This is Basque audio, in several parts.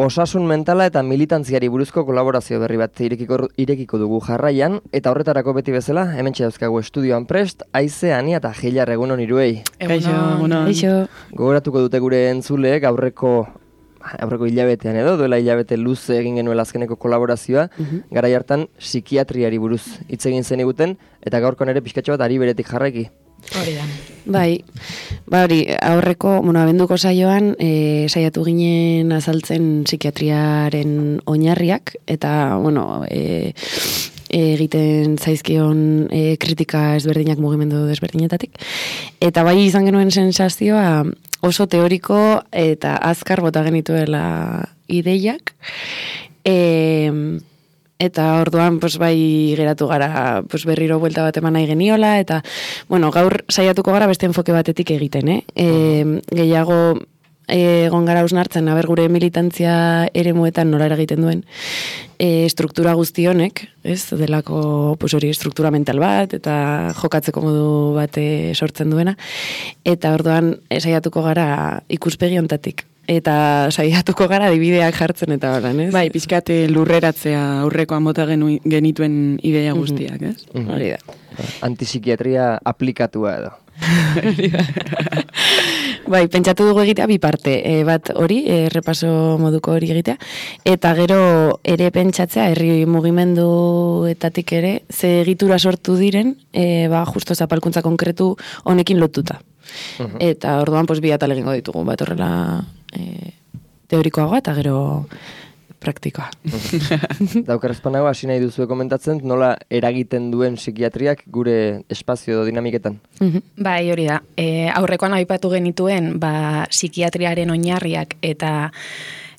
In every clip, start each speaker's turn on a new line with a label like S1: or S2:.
S1: osasun mentala eta militantziari buruzko kolaborazio berri bat irekiko dugu jarraian, eta horretarako beti bezala, hementxe dauzkagu estudioan prest, Aize, Ani eta Gilar egunon hiruei.
S2: Egunon.
S1: Gogoratuko dute gure entzuleek aurreko hilabetean edo, duela hilabete luze egin genuela azkeneko kolaborazioa, garai hartan psikiatriari buruz hitz egin zen iguten, eta gaurkoan ere pixkatxo bat ari beretik jarraiki.
S2: Hori da. Hori, aurreko, abenduko saioan, saiatu ginen azaltzen psikiatriaren oinarriak, eta, egiten zaizkion kritika ezberdinak mugimendu desberdinetatik. Eta bai izan genuen sensazioa oso teoriko eta azkar bota genituela ideiak. Eta orduan bai geratu gara berriro buelta bat eman nahi geniola, eta gaur saiatuko gara beste enfoke batetik egiten, gehiago egon gara hausnartzen, gure militantzia eremuetan nola eragiten duen struktura guztionek, ez, delako hori struktura mental bat, eta jokatzeko modu bat sortzen duena, eta orduan saiatuko gara ikuspegi hontatik. Eta saiatuko gara adibideak jartzen eta horan, ez?
S3: Bai, pixkat lurreratzea aurrekoan bota genituen ideia guztiak, ez?
S1: Hori da. Antipsikiatria aplikatua edo.
S2: Bai, pentsatu dugu egitea bi parte, bat hori, repaso moduko hori egitea, eta gero ere pentsatzea, herri mugimenduetatik ere, ze egitura sortu diren, justo zapalkuntza konkretu honekin lotuta. Eta orduan, bi atal egingo ditugu, bat horrela teorikoagoa eta gero praktikoa.
S1: Daukarrezpanago, hasi nahi duzue komentatzen, nola eragiten duen psikiatriak gure espazio edo dinamiketan?
S4: Bai, hori da. Aurrekoan aipatu genituen, psikiatriaren oinarriak eta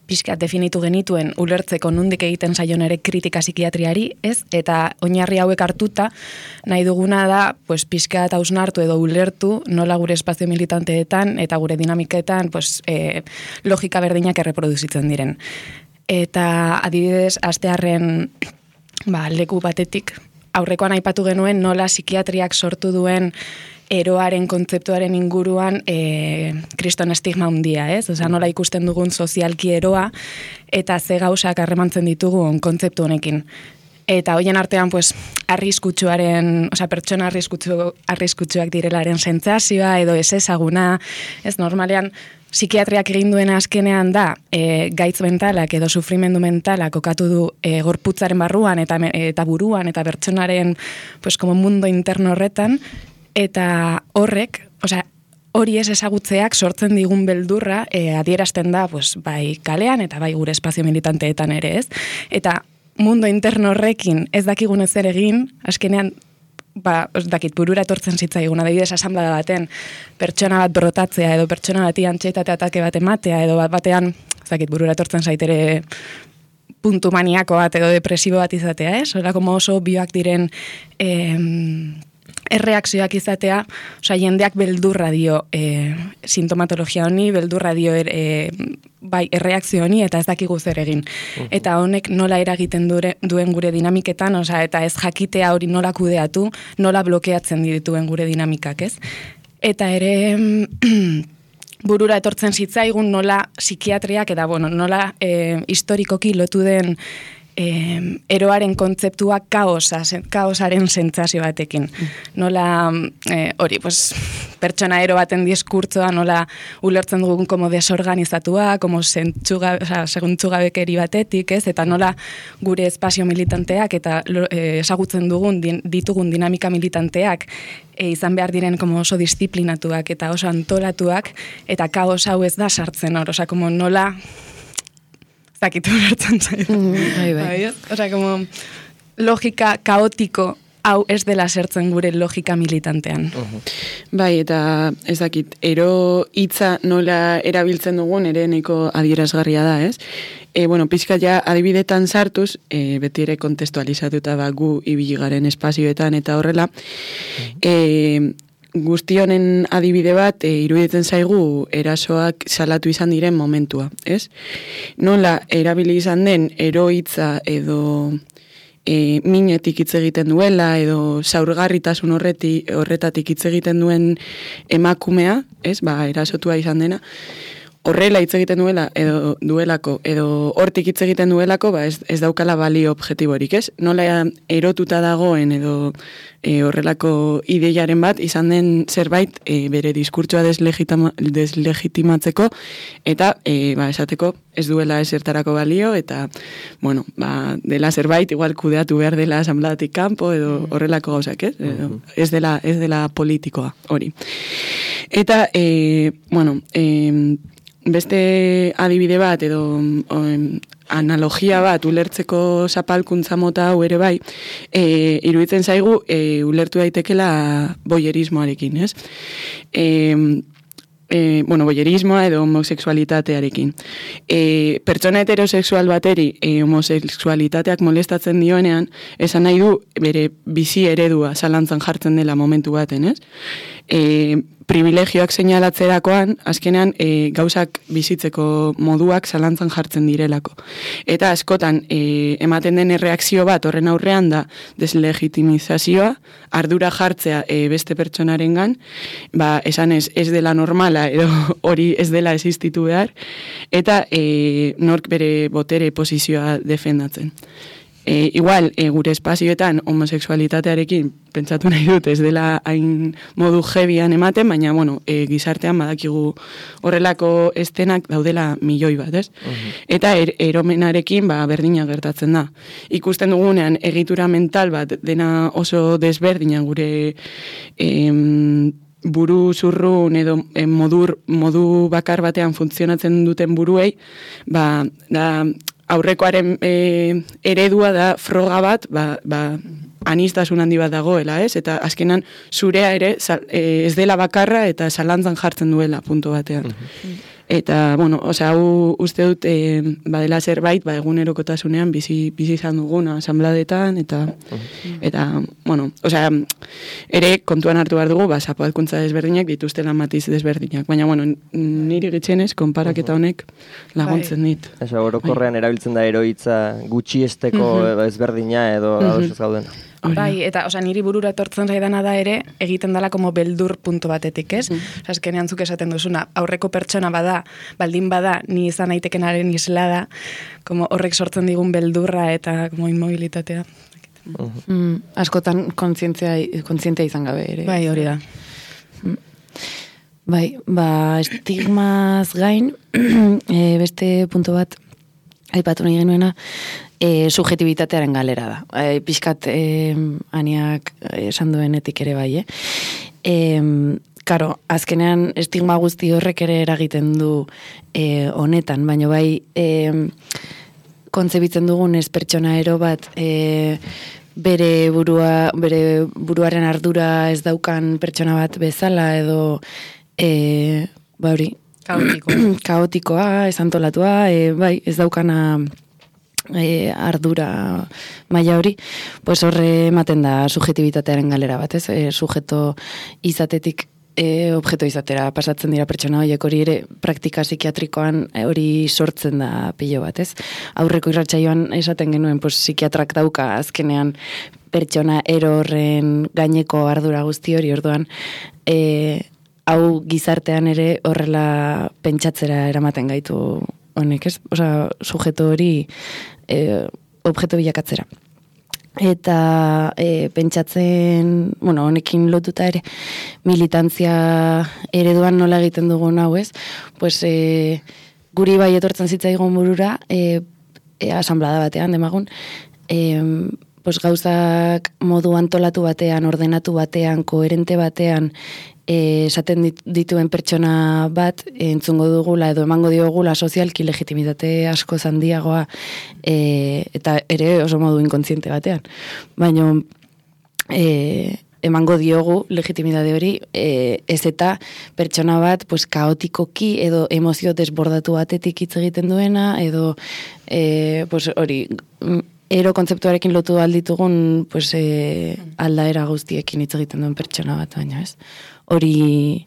S4: pixkat definitu genituen ulertzeko nondik egiten zaion ere kritika psikiatriari, ez? Eta oinarri hauek hartuta, nahi duguna da, pixkat hausnartu edo ulertu nola gure espazio militanteetan eta gure dinamiketan logika berdinak erreproduzitzen diren. Eta adibidez, astearren leku batetik, aurrekoan aipatu genuen nola psikiatriak sortu duen eroaren kontzeptuaren inguruan kriston estigma handia, ez? Osa, nola ikusten dugun sozialki eroa eta ze gauzak harremantzen ditugun kontzeptu honekin. Eta hoien artean, arriskutsuaren, pertsona arriskutsuak direlaren sentsazioa edo ez ezaguna, ez normalean, psikiatriak egin duena azkenean da, gaitz mentalak edo sufrimendu mentalak kokatu du gorputzaren barruan eta buruan eta pertsonaren como mundo interno horretan, eta horrek, hori ez ezagutzeak sortzen digun beldurra adierazten da bai kalean eta bai gure espazio militanteetan ere, ez? Eta mundo interno horrekin ez dakigun ezer egin, azkenean burura etortzen zitzaigun, adibidez asanblada baten pertsona bat brotatzea edo pertsona bati antxietate atake bat ematea edo batean, burura etortzen zaitere puntu maniako bat edo depresibo bat izatea, ez? Horako oso bioak diren erreakzioak izatea, jendeak beldurra dio sintomatologia honi, beldurra dio erreakzio honi eta ez dakigu zer egin. Eta honek nola eragiten duen gure dinamiketan, eta ez jakitea hori nola kudeatu, nola blokeatzen dituen gure dinamikak, ez? Eta ere burura etortzen zitzaigun nola psikiatriak eta nola historikoki lotu den eroaren kontzeptua kaosaren sentsazio batekin. Nola, pertsona ero baten diskurtzoa, nola ulertzen dugun como desorganizatua, como seguntzugabekeri batetik, ez? Eta nola gure espazio militanteak eta ezagutzen ditugun dinamika militanteak izan behar diren como oso disiplinatuak eta oso antolatuak, eta kaos hau ez da sartzen hor, como nola zakitu bertzen zaitu. Osa, como logika kaotiko hau ez dela sertzen gure logika militantean.
S3: Bai, eta ez dakit, ero hitza nola erabiltzen dugun ere nahiko adierazgarria da, ez? Pixka ja adibidetan sartuz, beti ere kontestualizatuta gu ibili garen espazioetan eta horrela, guzti honen adibide bat iruditzen zaigu erasoak salatu izan diren momentua, ez? Nola erabili izan den ero hitza edo minetik hitz egiten duela edo zaurgarritasun horretatik hitz egiten duen emakumea, ez? Erasotua izan dena. horrela hitz egiten duelako, edo hortik hitz egiten duelako, ez daukala balio objektiborik, ez? Nola erotuta dagoen edo horrelako ideiaren bat, izan den zerbait bere diskurtsoa deslegitimatzeko, eta esateko ez duela esertarako balio, eta, bueno, dela zerbait, igual kudeatu behar dela asambladatik kanpo, edo horrelako gauzak, ez? Ez dela politikoa, hori. Eta, bueno, beste adibide bat edo analogia bat ulertzeko zapalkuntza mota hau ere bai, iruditzen zaigu ulertu daitekela boyerismoarekin, ez? Bueno, boyerismoa edo homosexualitatearekin. Pertsona heterosexual bateri homosexualitateak molestatzen dioenean, esan nahi du bere bizi eredua zalantzan jartzen dela momentu baten, ez? Privilegioak seinalatzerakoan, azkenean gauzak bizitzeko moduak zalantzan jartzen direlako. Eta askotan ematen den erreakzio bat horren aurrean da deslegitimizazioa, ardura jartzea beste pertsonarengan, esan ez dela normala edo hori ez dela existitu behar, eta nork bere botere posizioa defendatzen. Igual, gure espazioetan homosexualitatearekin pentsatu nahi dut ez dela hain modu jebian ematen, baina, bueno, gizartean badakigu horrelako estenak daudela milioi bat, ez? Eta eromenarekin berdina gertatzen da. Ikusten dugunean egitura mental bat dena oso desberdina gure buru zurrun edo modu bakar batean funtzionatzen duten buruei, da aurrekoaren eredua da froga bat, anistasun handi bat dagoela, ez? Eta azkenan zurea ere ez dela bakarra eta zalantzan jartzen duela puntu batean. Eta, bueno, hau uste dut badela zerbait, egunerokotasunean bizi izan duguna asanbladetan, eta, bueno, ere kontuan hartu behar dugu, zapalkuntza desberdinak dituztela matiz desberdinak. Baina, bueno, niri gitzenez, konparaketa honek laguntzen dit.
S1: Orokorrean erabiltzen da eroitza gutxiesteko ezberdina edo ados gauden.
S4: Bai, eta niri burura etortzen zaidana da ere, egiten dela como beldur puntu batetik, ez? Azkenean zuk esaten duzuna, aurreko pertsona baldin bada, ni izan aitekenaren isla da, como horrek sortzen digun beldurra eta como inmobilitatea.
S2: Askotan kontzientea izan gabe ere.
S4: Bai, hori da.
S2: Bai, estigmaz gain, beste puntu bat aipatu nahi genuena, subjetibitatearen galera da. Pixkat aniak esan duenetik ere bai, Karo, azkenean estigma guzti horrek ere eragiten du honetan, baina bai kontzebitzen dugun ez pertsona ero bat bere buruaren ardura ez daukan pertsona bat bezala edo hori kaotikoa, ez antolatua, bai, ez daukana ardura maila hori, pues horre ematen da subjetibitatearen galera bat, ez? Sujeto izatetik objeto izatera pasatzen dira pertsona horiek, hori ere praktika psikiatrikoan hori sortzen da pilo bat, ez? Aurreko irratsaioan esaten genuen, pues psikiatrak dauka azkenean pertsona ero horren gaineko ardura guzti hori, orduan hau gizartean ere horrela pentsatzera eramaten gaitu honek, ez? Sujeto hori objeto bilakatzera. Eta pentsatzen, bueno, honekin lotuta ere, militantzia ereduan nola egiten dugun hau, ez? Pues guri bai etortzen zitzaigun burura, asanblada batean, demagun, pues gauzak modu antolatu batean, ordenatu batean, koherente batean, esaten dituen pertsona bat entzungo dugula edo emango diogula sozialki legitimitate asko handiagoa eta ere oso modu inkontziente batean. Baina emango diogu legitimitate hori ez eta pertsona bat pues, kaotikoki edo emozio desbordatu batetik hitz egiten duena edo pues, hori ero kontzeptuarekin lotu alditugun pues, aldaera guztiekin hitz egiten duen pertsona bat, baina ez. Hori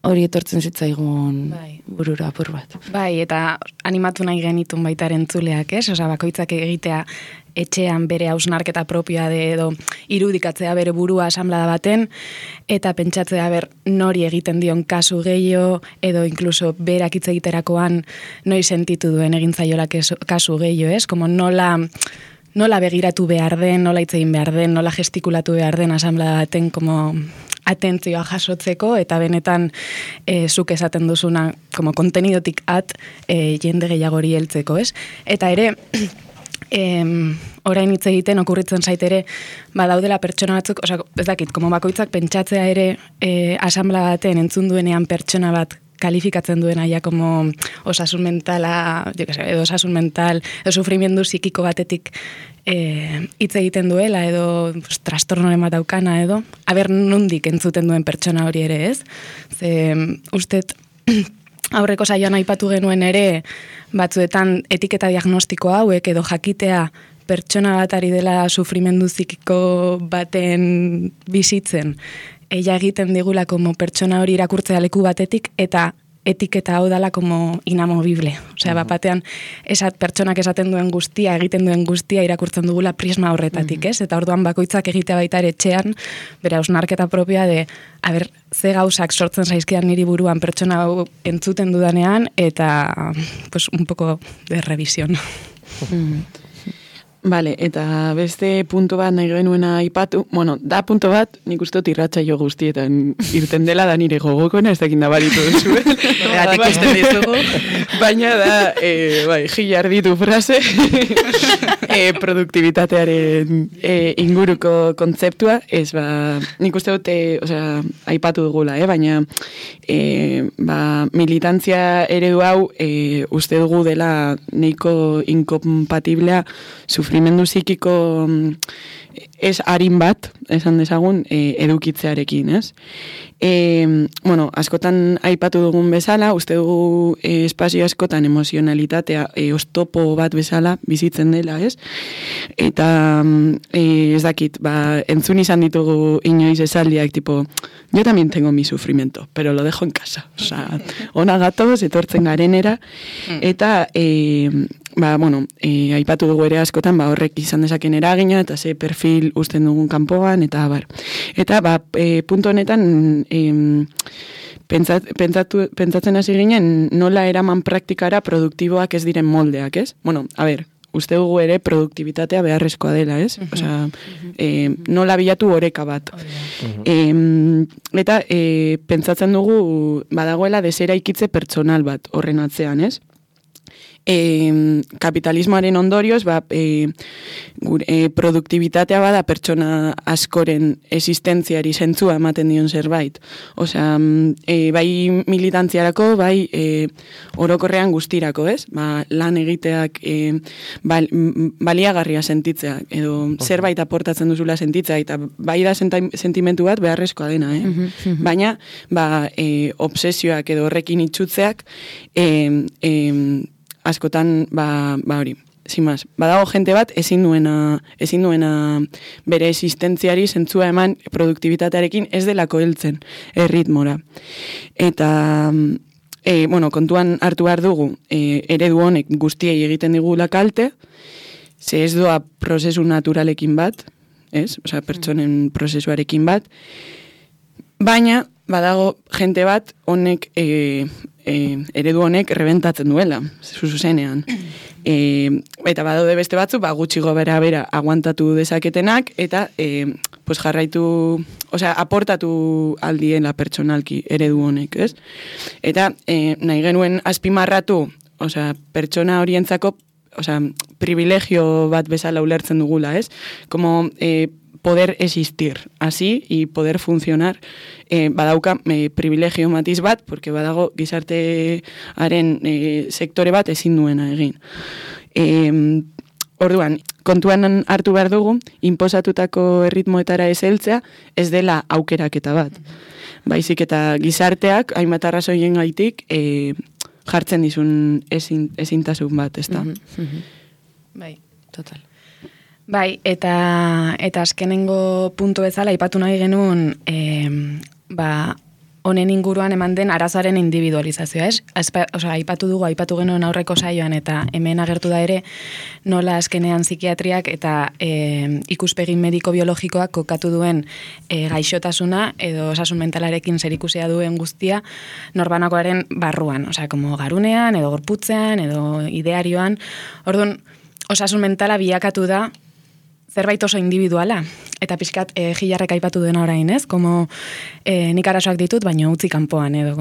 S2: hori etortzen zitzaigun burura apur bat.
S4: Bai, eta animatu nahi genitun baita entzuleak, ez? Osa, bakoitzak egitea etxean bere hausnarketa propioa edo irudikatzea bere burua asamblada baten, eta pentsatzea nori egiten dion kasu gehiago, edo inkluso berak hitz egiterakoan noi sentitu duen egin zaiola kasu gehiago, ez? Como nola begiratu behar den, nola hitz egin behar den, nola gestikulatu behar den asamblada baten, como atentzioa jasotzeko, eta benetan zuk esaten duzuna, como kontenidotik jende gehiagori heltzeko, ez? Eta ere, orain hitz egiten okurritzen zait ere, daudela pertsona batzuk, ez dakit, como bakoitzak pentsatzea ere asamblea baten entzun duenean pertsona bat kalifikatzen duena ja como osasun mentala, edo osasun mental, edo sufrimendu psikiko batetik hitz egiten duela, edo trastornoren bat daukana, edo nondik entzuten duen pertsona hori ere, ez? Ze ustet aurreko saioan aipatu genuen ere, batzuetan etiketa diagnostiko hauek edo jakitea pertsona bat ari dela sufrimendu psikiko baten bizitzen, ella egiten digula como pertsona hori irakurtzea leku batetik, eta etiketa hau dala como inamovible. Osea, batean pertsonak esaten duen guztia, egiten duen guztia irakurtzen dugula prisma horretatik, ez? Eta orduan bakoitzak egitea baita ere etxean, bere hausnarketa propioa de, ze gauzak sortzen zaizkidan niri buruan pertsona hau entzuten dudanean, eta, pues, un poco de revisión.
S3: Vale, eta beste punto bat nahi genuena aipatu, da punto bat, nik uste dut irratsaio guztietan irten dela da nire gogokona, ez dakin nabaritu duzuen. Baina da, gilar ditu frase, produktibitatearen inguruko kontzeptua, ez nik uste dut, aipatu dugula, baina militantzia eredu hau uste dugu dela neiko inkompatiblea sufrimendu psikiko ez harin bat, esan dezagun, edukitzearekin, ez? Askotan aipatu dugun bezala, uste dugu espazio askotan emozionalitatea oztopo bat bezala bizitzen dela, ez? Eta ez dakit, entzun izan ditugu inoiz esaldiak, tipo, yo también tengo mi sufrimiento, pero lo dejo en casa. Osa, ona gatoz, etortzen garenera, eta aipatu dugu ere askotan, horrek izan dezaken eragina, eta ze perfil usten dugun kanpoan, eta Eta, puntu honetan, pentsatzen hasi ginen, nola eraman praktikara produktiboak ez diren moldeak, ez? Uste dugu ere produktibitatea beharrezkoa dela, ez? Osea, nola bilatu oreka bat. Eta, pentsatzen dugu, badagoela deseraikitze pertsonal bat horren atzean, ez? Kapitalismoaren ondorioz, produktibitatea bada pertsona askoren existentziari zentzua ematen dion zerbait. Osea, bai militantziarako, bai orokorrean guztirako, ez? Lan egiteak baliagarria sentitzea, edo zerbait aportatzen duzula sentitzea, eta bai da sentimentu bat beharrezkoa dena, Baina, obsesioak edo horrekin itxutzeak, askotan, hori, zimaz, badago jente bat ezin duena bere existentziari zentzua eman produktibitatearekin ez delako heltzen erritmora. Eta, kontuan hartu behar dugu, eredu honek guztiei egiten digula kalte, ze ez doa prozesu naturalekin bat, ez? Osea, pertsonen prozesuarekin bat, baina, badago jente bat honek eredu honek rebentatzen duela, zuzenean. Eta badaude beste batzu, gutxi gobera aguantatu dezaketenak, eta jarraitu, aportatu aldiela pertsonalki eredu honek, ez? Eta nahi genuen azpimarratu, pertsona horientzako, privilegio bat bezala ulertzen dugula, ez? Como poder existir, así, y poder funcionar, badauka privilegio matiz bat, porque badago gizartearen sektore bat ezin duena egin. Orduan, kontuan hartu behar dugu, inposatutako erritmoetara ez heltzea, ez dela aukeraketa bat. Baizik eta gizarteak, hainbat arrazoien gaitik, jartzen dizun ezintasun bat, ez da?
S4: Bai, total. Bai, eta azkenengo puntu bezala, ipatu nahi genuen, honen inguruan eman den arazoaren individualizazioa, ez? Aipatu genuen aurreko saioan eta hemen agertu da ere nola azkenean psikiatriak eta ikuspegi mediko-biologikoak kokatu duen gaixotasuna edo osasun mentalarekin zerikusia duen guztia norbanakoaren barruan, como garunean edo gorputzean edo idearioan. Orduan, osasun mentala bilakatu da zerbait oso individuala. Eta pixkat Gilarrek aipatu duena orain, ez? Como nik arazoak ditut, baina utzi kanpoan, edo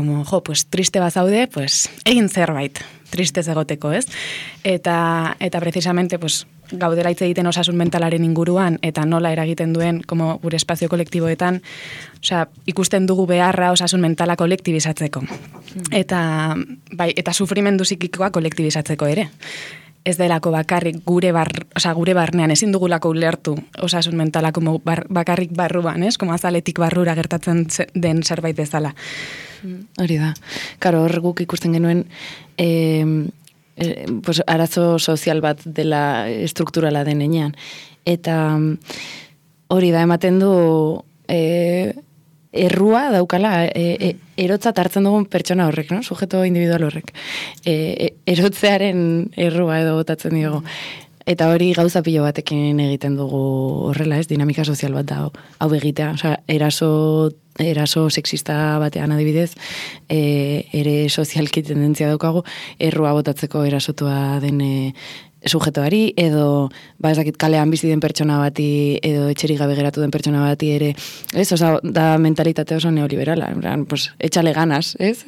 S4: pues triste bazaude, pues egin zerbait, triste egoteko, ez? Eta precisamente, pues, gaudela hitz egiten osasun mentalaren inguruan, eta nola eragiten duen, como gure espazio kolektiboetan, ikusten dugu beharra osasun mentala kolektibizatzeko. Eta sufrimendu psikikoa kolektibizatzeko ere. Ez delako bakarrik gure barnean, ezin dugulako ulertu osasun mentala bakarrik barruan, ez? Como azaletik barrura gertatzen den zerbait bezala.
S2: Hori da. Karo, hor guk ikusten genuen pues, arazo sozial bat dela strukturala denean. Eta hori da, ematen du errua daukala, erotzat hartzen dugun pertsona horrek, no? Sujeto individual horrek. Erotzearen errua edo botatzen diogu. Eta hori gauza pilo batekin egiten dugu horrela, ez? Dinamika sozial bat da hau egitea. Osea, eraso sexista batean adibidez, ere sozialki tendentzia daukagu, errua botatzeko erasotua den sujetoari, edo, ez dakit, kalean bizi den pertsona bati, edo etxerik gabe geratu den pertsona bati ere, ez? Osa, da mentalitate oso neoliberala, pues, etxale ganas, ez?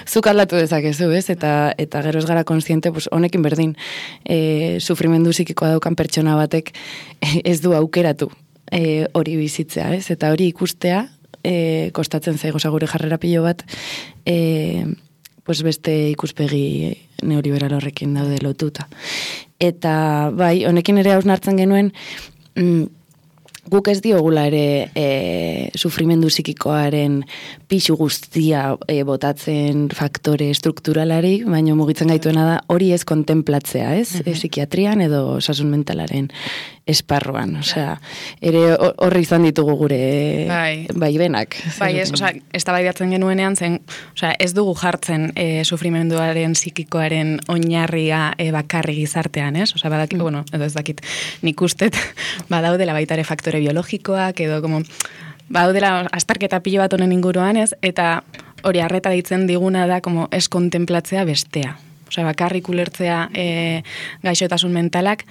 S2: Zuk aldatu dezakezu, ez? Eta gero ez gara konstiente, pues, honekin berdin, sufrimendu psikikoa daukan pertsona batek ez du aukeratu hori bizitzea, ez? Eta hori ikustea, kostatzen zaigo, gure jarrera pilo bat, pues beste ikuspegi neoliberal horrekin daude lotuta. Eta, bai, honekin ere hausnartzen genuen, guk ez diogula ere sufrimendu psikikoaren pixu guztia botatzen faktore strukturalari, baina mugitzen gaituena da hori ez kontemplatzea, ez? Psikiatrian edo osasun mentalaren esparruan, osea, ere horri izan ditugu gure benak.
S4: Bai, eztabaidatzen genuenean zen, osea, ez dugu jartzen sufrimenduaren psikikoaren oinarria bakarri gizartean, ez? Osea, badakit, bueno, edo ez dakit, nik ustet badaudela baita ere faktore biologikoak, edo como badaudela astarketa pilo bat honen inguruan, ez? Eta hori arreta ditzen diguna da como ez kontemplatzea bestea. Osea, bakarrik ulertzea gaixotasun mentalak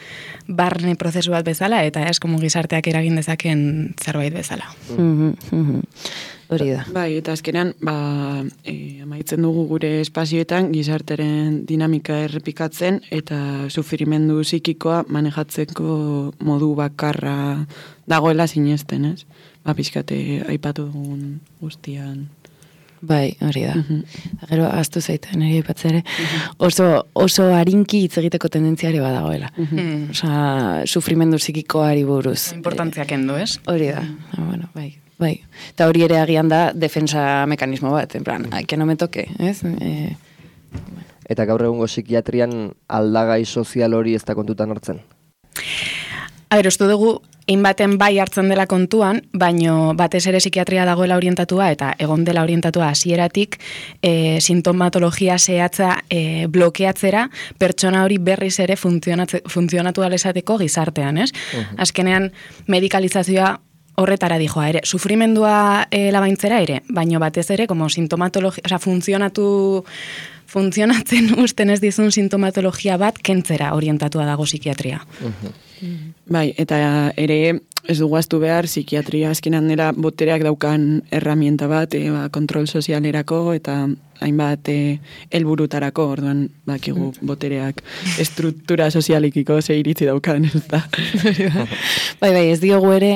S4: barne prozesu bat bezala, eta ez como gizarteak eragin dezaken zerbait bezala.
S2: Hori da.
S3: Bai, eta azkenean, amaitzen dugu gure espazioetan gizarteren dinamika errepikatzen eta sufrimendu psikikoa manejatzeko modu bakarra dagoela sinesten, ez? Pixkate aipatu dugun guztian.
S2: Bai, hori da. Gero, aztu zaita, nire aipatzea ere, oso harinki hitz egiteko tendentzia ere badagoela. Osea, sufrimendu psikikoari buruz.
S4: Importantzia kendu, ez?
S2: Hori da, bueno, bai. Eta hori ere agian da defensa mekanismo bat, en plan, que no me toque, ez?
S1: Eta gaur egungo psikiatrian aldagai sozial hori ez da kontutan hartzen?
S4: Uste dugu, baten bai hartzen dela kontuan, baino batez ere psikiatria dagoela orientatua eta egon dela orientatua hasieratik sintomatologia zehatza blokeatzera pertsona hori berriz ere funtzionatu alezateko gizartean, ez? Azkenean medikalizazioa horretara dijoa ere, sufrimendua labaintzera ere, baino batez ere como sintomatologia, osea, funtzionatzen usten ez dizun sintomatologia bat kentzera orientatua dago psikiatria.
S3: Bai, eta ere ez dugu aztu behar psikiatria azkenan dela botereak daukan herramienta bat, kontrol sozialerako eta hainbat helburutarako, orduan bakigu botereak estruktura sozialikiko ze iritzi daukan, ez da.
S2: Bai, ez diogu ere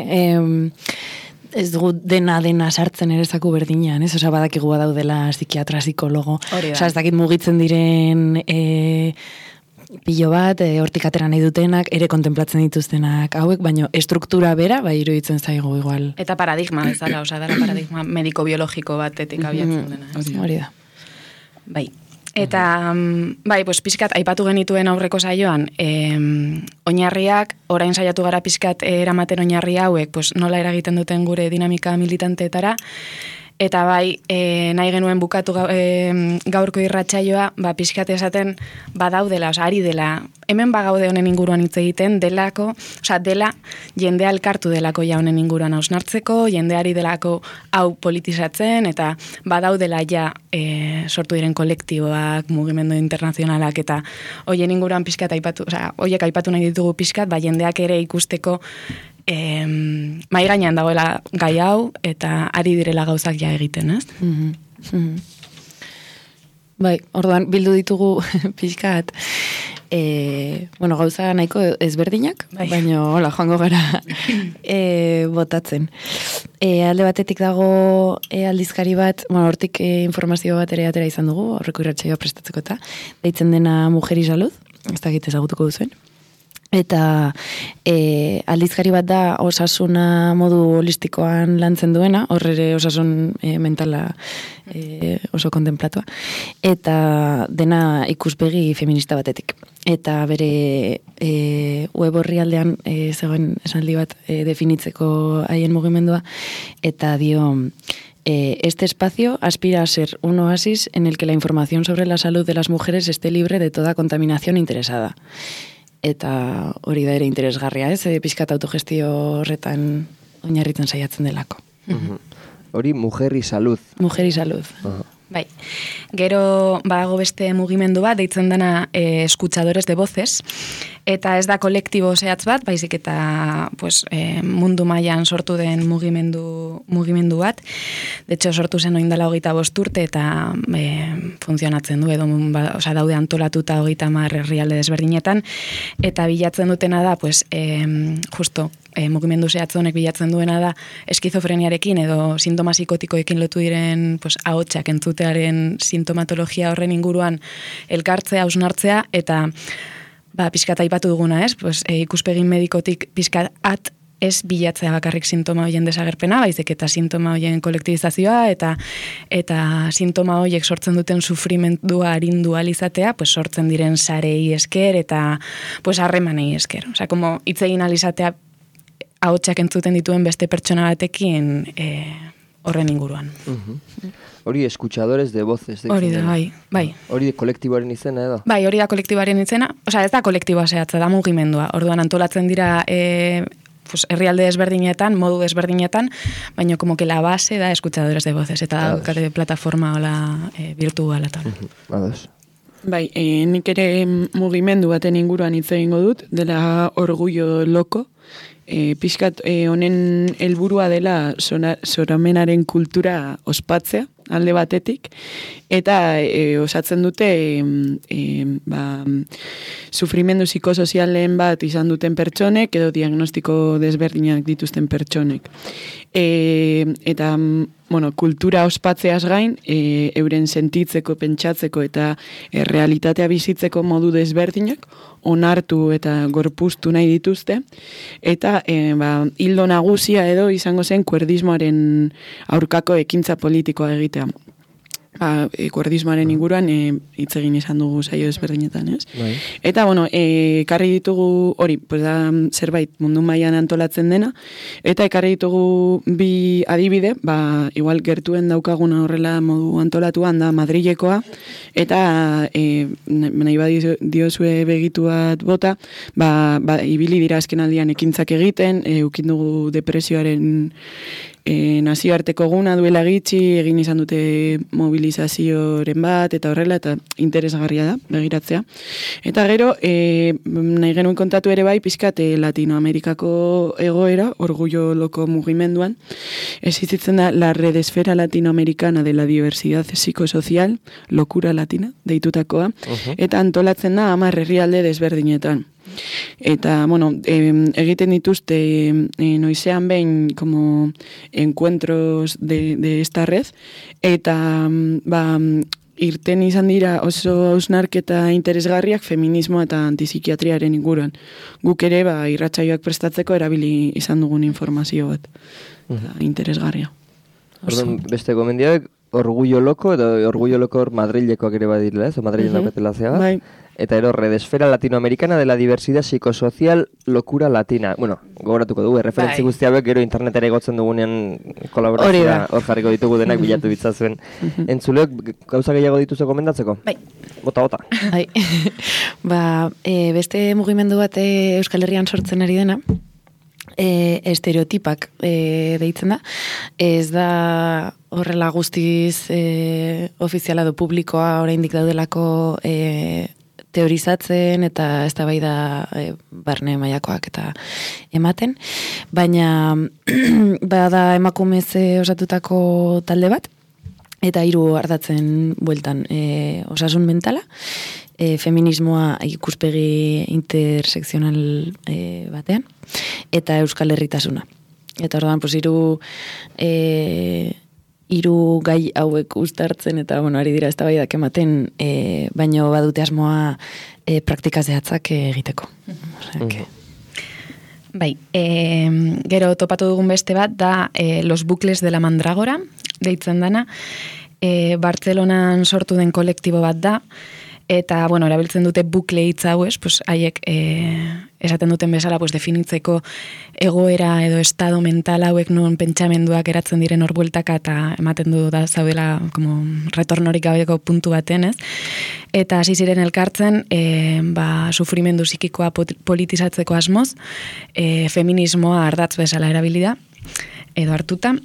S2: ez dugu dena sartzen ere zaku berdinean, ez? Osa, badakigu badaudela psikiatra, psikologo. Osa, ez dakit mugitzen diren pilo bat, hortik atera nahi dutenak, ere kontemplatzen dituztenak hauek, baina estruktura bera, bai iruditzen zaigu igual.
S4: Eta paradigma bezala, osa, dara paradigma mediko-biologiko batetik abiatzen dena.
S2: Hori da.
S4: Bai. Eta, bai, pues, pixkat, aipatu genituen aurreko saioan, oinarriak, orain saiatu gara pixkat eramaten oinarri hauek, pues, nola eragiten duten gure dinamika militanteetara, Eta bai, nahi genuen bukatu gaurko irratsaioa, pixkate esaten badaudela, ari dela, hemen bagaude honen inguruan hitz egiten, dela jendea elkartu delako ja honen inguruan hausnartzeko, jendeari delako hau politizatzen, eta badaudela ja sortu diren kolektiboak, mugimendu internazionalak, eta hoien inguruan pixkat aipatu, hoiek aipatu nahi ditugu pixkat, jendeak ere ikusteko mai gainean dagoela gai hau, eta ari direla gauzak ja egiten, ez?
S2: Bai, orduan bildu ditugu pixkat, gauza nahiko ezberdinak, baina hola, joango gara botatzen. Alde batetik dago aldizkari bat, hortik informazio bat ere atera izan dugu, aurreko irratsaioa prestatzeko eta, deitzen dena Mujer y Salud, ez dakit ezagutuko duzuen. Eta aldizkari bat da osasuna modu holistikoan lantzen duena, horre osasun mentala oso kontemplatua, eta dena ikuspegi feminista batetik. Eta bere web orrialdean zegoen esaldi bat definitzeko haien mugimendua, eta dio... este espacio aspira a ser un oasis en el que la información sobre la salud de las mujeres esté libre de toda contaminación interesada. Eta hori da ere interesgarria, ez? Pixkat autogestio horretan oinarritzen saiatzen delako.
S1: Hori Mujer y Salud.
S2: Mujer y Salud.
S4: Bai, gero badago beste mugimendu bat, deitzen dena escuchadores de voces, eta ez da kolektibo zehatz bat, baizik eta mundu mailan sortu den mugimendu bat. De hecho, sortu zen oindala 25 urte eta funtzionatzen du, edo daude antolatuta 30 herrialde desberdinetan, eta bilatzen dutena da, justo, mugimendu zehatz honek bilatzen duena da eskizofreniarekin edo sintoma psikotikoekin lotu diren ahotsak entzutearen sintomatologia horren inguruan elkartzea, hausnartzea, eta pixkat aipatu duguna, ez? Ikuspegi medikotik pixkat ez bilatzea bakarrik sintoma hoien desagerpena, baizik eta sintoma hoien kolektibizazioa, eta sintoma hoiek sortzen duten sufrimendua arindu alizatea, sortzen diren sarei esker, eta harremanei esker. Osea, como hitz egin alizatea ahotsak entzuten dituen beste pertsona batekin horren inguruan.
S1: Hori escuchadores de voces.
S4: Hori da, bai.
S1: Hori kolektiboaren izena edo?
S4: Bai, hori da kolektiboaren izena. Osea, ez da kolektiboa zehatza, da mugimendua. Orduan antolatzen dira herrialde desberdinetan, modu desberdinetan, baina como que la base da escuchadores de voces, eta daukate plataforma hola virtuala eta.
S1: Ados.
S3: Bai, nik ere mugimendu baten inguruan hitz egingo dut, dela Orgullo Loko, pixkat honen helburua dela soramenaren kultura ospatzea, alde batetik, eta osatzen dute sufrimendu psikosozialen bat izan duten pertsonek, edo diagnostiko desberdinak dituzten pertsonek. Eta, kultura ospatzeaz gain, euren sentitzeko, pentsatzeko eta realitatea bizitzeko modu desberdinak, onartu eta gorpuztu nahi dituzte, eta hildo nagusia edo izango zen kuerdismoaren aurkako ekintza politikoa egitea. Kuerdismoaren inguruan hitz egin izan dugu saio desberdinetan, ez?
S1: Bai.
S3: Eta, ekarri ditugu hori, da zerbait mundu mailan antolatzen dena, eta ekarri ditugu bi adibide, igual gertuen daukaguna horrela modu antolatuan da Madrilekoa, eta nahi diozue begitu bat bota, ibili dira azken aldian ekintzak egiten, ukin dugu depresioaren nazioarteko guna duela gitxi, egin izan dute mobilizazioren bat, eta horrela, eta interesgarria da, begiratzea. Eta gero, nahi genuen kontatu ere bai, pixkat Latinoamerikako egoera, Orgullo Loko mugimenduan, existitzen da la Red Esfera Latinoamericana de la Diversidad Psicosocial, Lokura Latina, deitutakoa, eta antolatzen da 10 herrialde desberdinetan. Eta, egiten dituzte noizean behin como encuentros de esta red, eta irten izan dira oso hausnarketa interesgarriak feminismo eta antipsikiatriaren inguruan. Guk ere irratsaioak prestatzeko erabili izan dugun informazio bat. Interesgarria.
S1: Orduan, beste gomendiak Orgullo Loko, edo Orgullo Loko Madrilekoak ere badirela, ez? Madrilen daukatela zea bat.
S3: Bai.
S1: eta ero Red Esfera Latinoamericana de la Diversidad Psicosocial Locura Latina. Bueno, gogoratuko dugu, referentzi guzti hauek gero internetera igotzen dugunean kolaborazioa hor jarriko ditugu denak bilatu bitzazuen. Entzuleok gauza gehiago dituzu gomendatzeko?
S4: Bai.
S1: Bota.
S2: Bai. Beste mugimendu bat Euskal Herrian sortzen ari dena, estereotipak deitzen da. Ez da horrela guztiz ofiziala do publikoa oraindik daudelako teorizatzen eta eztabaida barne mailakoak eta ematen, baina bada emakumez osatutako talde bat, eta 3 ardatzen bueltan osasun mentala, feminismoa ikuspegi intersekzional batean, eta Euskal Herritasuna. Eta orduan, pues, 3 gai hauek uztartzen, eta ari dira eztabaidak ematen, baino badute asmoa praktika zehatzak egiteko.
S4: Bai, gero topatu dugun beste bat da Los Bucles de la Mandrágora, deitzen dana, Bartzelonan sortu den kolektibo bat da, eta, erabiltzen dute bukle hitz hau, pues, haiek esaten duten bezala, pues, definitzeko egoera edo estado mental hauek non pentsamenduak eratzen diren hor bueltaka, eta ematen du da zaudela como retornorik gabeko puntu baten, ez? Eta hasi ziren elkartzen, sufrimendu psikikoa politizatzeko asmoz, feminismoa ardatz bezala erabili da, edo hartuta,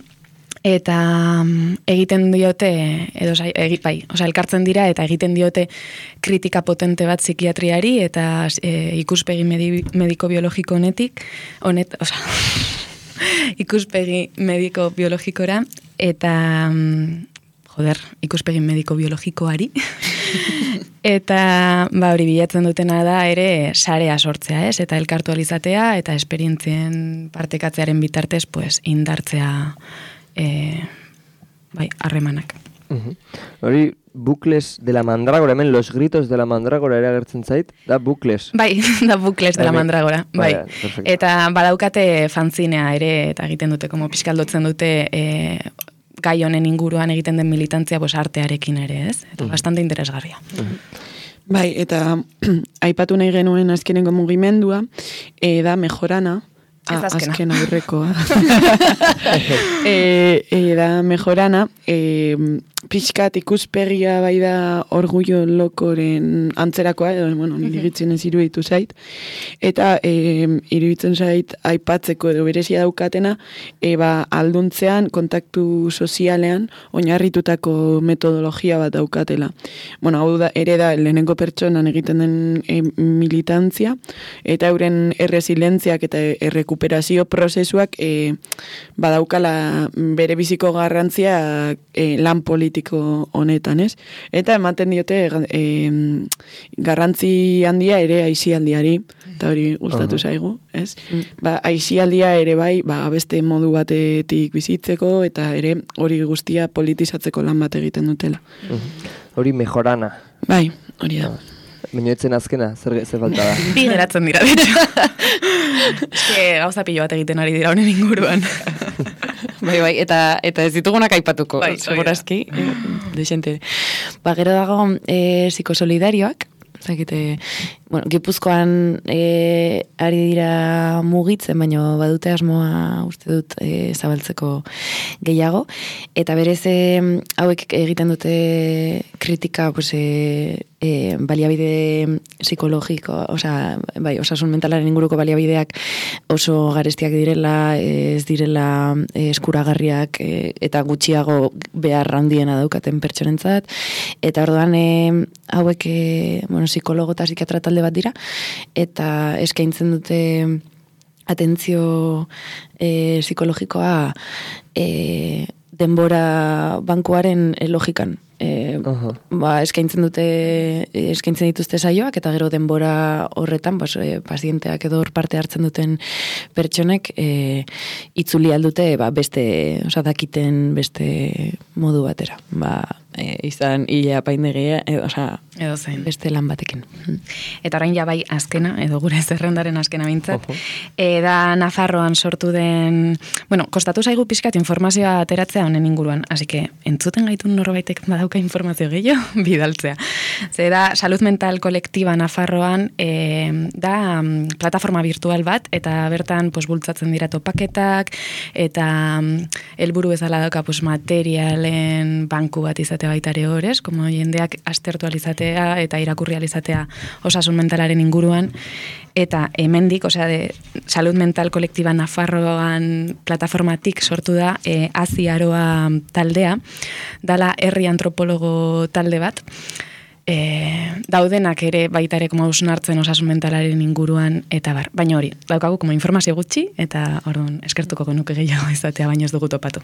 S4: eta egiten diote, elkartzen dira eta egiten diote kritika potente bat psikiatriari eta ikuspegi mediko-biologiko ikuspegi mediko-biologikora eta ikuspegi mediko-biologikoari eta hori bilatzen dutena da ere sarea sortzea, ez? Eta elkartu alizatea eta esperientzien partekatzearen bitartez pues indartzea harremanak.
S1: Hori, Bucles de la Mandrágora, hemen Los Gritos de la Mandrágora ere agertzen zait, da Bucles.
S4: Bai, da Bucles de la Mandrágora, bai. Eta badaukate fanzinea ere, eta egiten dute, como pixkaldotzen dute gai honen inguruan egiten den militantzia artearekin ere, ez? Eta bastante interesgarria.
S3: Bai, eta aipatu nahi genuen azkenengo mugimendua, da Mejorana, azken aurrekoa. Da Mejorana, pixkat ikuspegia bai da Orgullo Lokoren antzerakoa, nire egitzen ez iruditu zait, eta iruditzen zait aipatzeko edo berezia daukatena, alduntzean, kontaktu sozialean, oinarritutako metodologia bat daukatela. Hau da, ere da, lehenengo pertsonan egiten den militantzia, eta euren erresilentziak eta errekuperazio prozesuak badaukala bere biziko garrantzia lan politiko honetan, ez? Eta ematen diote garrantzi handia ere aisialdiari, eta hori gustatu zaigu, ez? Aisialdia ere bai, beste modu batetik bizitzeko, eta ere hori guztia politizatzeko lan bat egiten dutela.
S1: Hori Mejorana.
S3: Bai, hori da.
S1: Minuetzen azkena, zer falta da?
S4: Bi geratzen dira, gauza pilo bat egiten ari dira honen inguruan.
S2: Bai, eta ez ditugunak aipatuko, segurazki, desente. Gero dago psikosolidarioak, Gipuzkoan ari dira mugitzen, baina badute asmoa uste dut zabaltzeko gehiago, eta berez hauek egiten dute kritika baliabide psikologiko, osasun mentalaren inguruko baliabideak oso garestiak direla, ez direla eskuragarriak eta gutxiago behar handiena daukaten pertsonentzat, eta orduan hauek psikologo eta psikiatra talde bat dira, eta eskaintzen dute atentzio psikologikoa denbora bankuaren logikan. Eskaintzen dituzte saioak, eta gero denbora horretan pazienteak edo hor parte hartzen duten pertsonek itzuli aldute beste, dakiten beste modu batera.
S3: izan hile apaindegia, osea,
S4: Edo zein.
S2: beste lan batekin.
S4: Eta orain ja bai azkena, edo gure zerrendaren azkena bintzat, da Nafarroan sortu den, bueno, kostatu zaigu pixkat informazioa ateratzea honen inguruan, hasi que entzuten gaitun norbaitek badauka informazio gehiago, bidaltzea. Ze da, Salud Mental Kolektiba Nafarroan da plataforma virtual bat, eta bertan pues, bultzatzen dira topaketak, eta helburu bezala dauka pues, materialen banku bat izate baitare horrez, como jendeak astertu alizatea eta irakurri alizatea osasun mentalaren inguruan, eta hemendik, osea, Salud Mental Kolektiba Nafarroan plataformatik sortu da Aziaroa taldea, dala herri antropologo talde bat, daudenak ere baitare como hausnartzen osasun mentalaren inguruan, eta bar, baina hori, daukagu como informazio gutxi, eta orduan eskertuko genuke gehiago izatea, baina ez dugu topatu.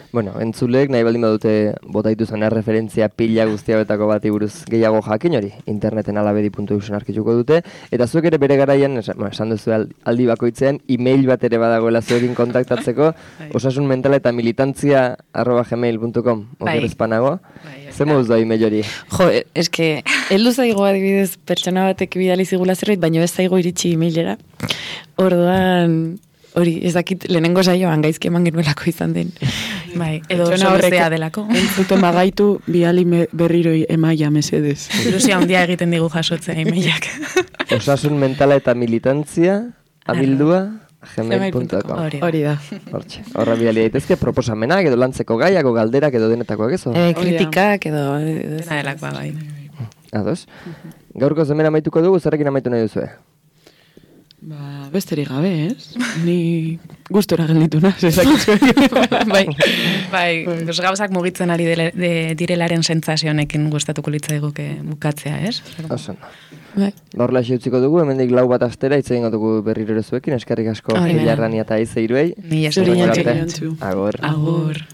S1: Bueno, entzulek nahi baldin badute bota dituzan referentzia pila guztiabetako bati buruz gehiago jakin hori, interneten alabedi.eusen arkituko dute, eta zuek ere bere garaian, esan duzu aldi bakoitzean, email bat ere badagoela zuekin kontaktatzeko, osasunmentala eta militantzia@gmail.com, oker ezpanago. Zer moduz da email hori?
S2: Jo, eske, heldu zaigo adibidez pertsona batek bidali zigula zerbait, baina ez zaigo iritsi emailera. Orduan, hori, ez dakit lehenengo saioan gaizki eman genuelako izan den.
S4: Bai, edo soluzea delako.
S3: Entzuten bagaitu, biali berriro emaia mesedez.
S4: Ilusia handia egiten digu jasotzea emailak.
S1: Osasun mentala eta militantzia, abildua, gmail.com.
S3: Hori da.
S1: Hortxe, horra bidali daitezke proposamenak, edo lantzeko gaiak, edo galderak, edo denetakoak ezo?
S2: Kritikak, edo...
S4: Dena delakoa, bai.
S1: Ados. Gaurko zemena amaituko dugu, zerrekin amaitu nahi duzue?
S3: Ba, besterik gabe, ez? Ni gustora gelditu naz, ezakitzu.
S4: Bai, gauzak mugitzen ari direlaren sentsazionekin gustatuko litzaiguke bukatzea, ez?
S1: Oso. Horrela utziko dugu, hemendik 4 bat astera, hitz egingo dugu berriro ere zuekin, eskerrik asko Ilarrania eta Izeiruei.
S4: Mila esker.
S1: Agur.
S4: Agur.